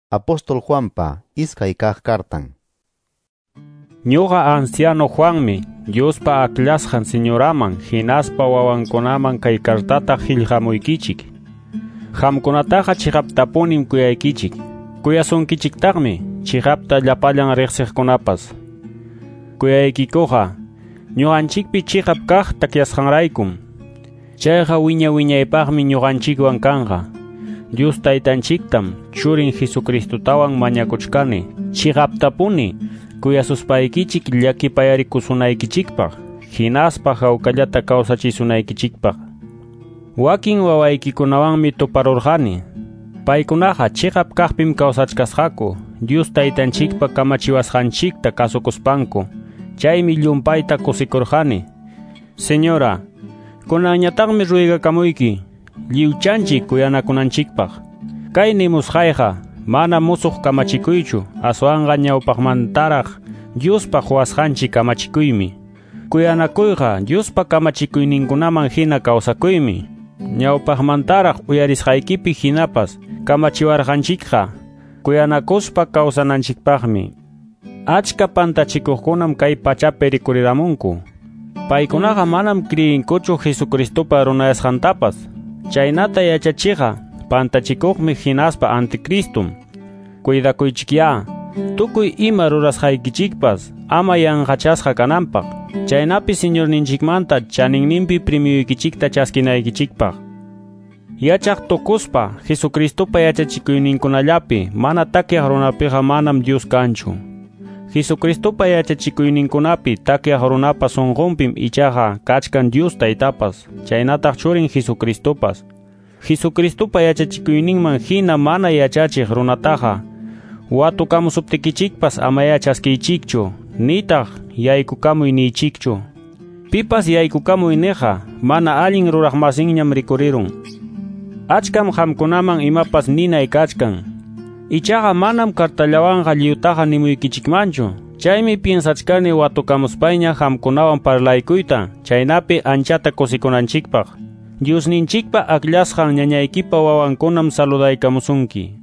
Apóstol Juanpa iskay kaq kartan. Ñuqa anciano Juanmi, Diospa aklasqan señoraman, hinaspa wawankunaman kay kartata qillqamuykichik. Qamkunataqa chiqaptapunim kuyaykichik. Kuyasunkichiktaqmi chiqapta llapallan riqsiqkunapas. Kuyaykikuqa ñuqanchikpi chiqap kaq takyasqanraykum. Chayqa wiña wiñaypaqmi ñuqanchikwan kanqa. Dios taytanchiktam churin Jesucristotawan mañakuchkani chiqaptapuni kuyasuspaykichik llakipayarikusunaykichikpaq hinaspa hawkallata kawsachisunaykichikpaq. Wakin wawaykikunawanmi tuparurqani. Paykunaqa chiqap kaqpim kawsachkasqaku Dios taytanchikpa kamachiwasqanchikta kasukuspanku. Chaymi llumpayta kusikurqani. Señora, kunanñataqmi ruygakamuyki lliwchanchik kuyanakunanchikpaq. Kay nimusqayqa mana musuq kamachikuychu, aswanqa ñawpaqmantaraq Diospa quwasqanchik kamachikuymi. Kuyanakuyqa Diospa kamachikuyninkunaman hina kawsakuymi. Ñawpaqmantaraq uyarisqaykipi hinapas kamachiwarqanchikqa kuyanakuspa kawsananchikpaqmi. Achka pantachikuqkunam kay pachapi rikuriramunku. Paykunaqa manam kriyinkuchu Jesucristopa runayasqantapas. Chaynata yachachiqa pantachikuqmi hinaspa anticristum. Cuidakuychikyá, tukuy ima rurasqaykichikpas ama yanqachasqa kananpaq. Chaynapi Señorninchikmanta chaninninpi premioykichikta chaskinaykichikpaq. Yachaq tukuspa Jesucristopa yachachikuyninkunallapi mana takyaq runapiqa manam Dios kanchu. Jesucristopa yachachikuyninkunapi takyaq runapa sunqunpim ichaqa kachkan Dios taytapas, chaynataq churin Jesucristopas. Jesucristopa yachachikuyninman hina mana yachachiq runataqa watukamusuptikichikpas amaya chaskiychikchu, nitaq yaykukamuy niychikchu. Pipas yaykukamuy niqa mana allin ruraqmasinñam rikurirun. Achkam qamkunaman imapas ninay kachkan. Ichaqa manam kartallawanqa lliwtaqa nimuykichikmanchu. Chaymi piensachkani watukamuspayña qamkunawan parlaykuyta, chaynapi anchata kusikunanchikpaq. Diosninchikpa aklasqan ñañaykipa wawankunam saludaykamusunki.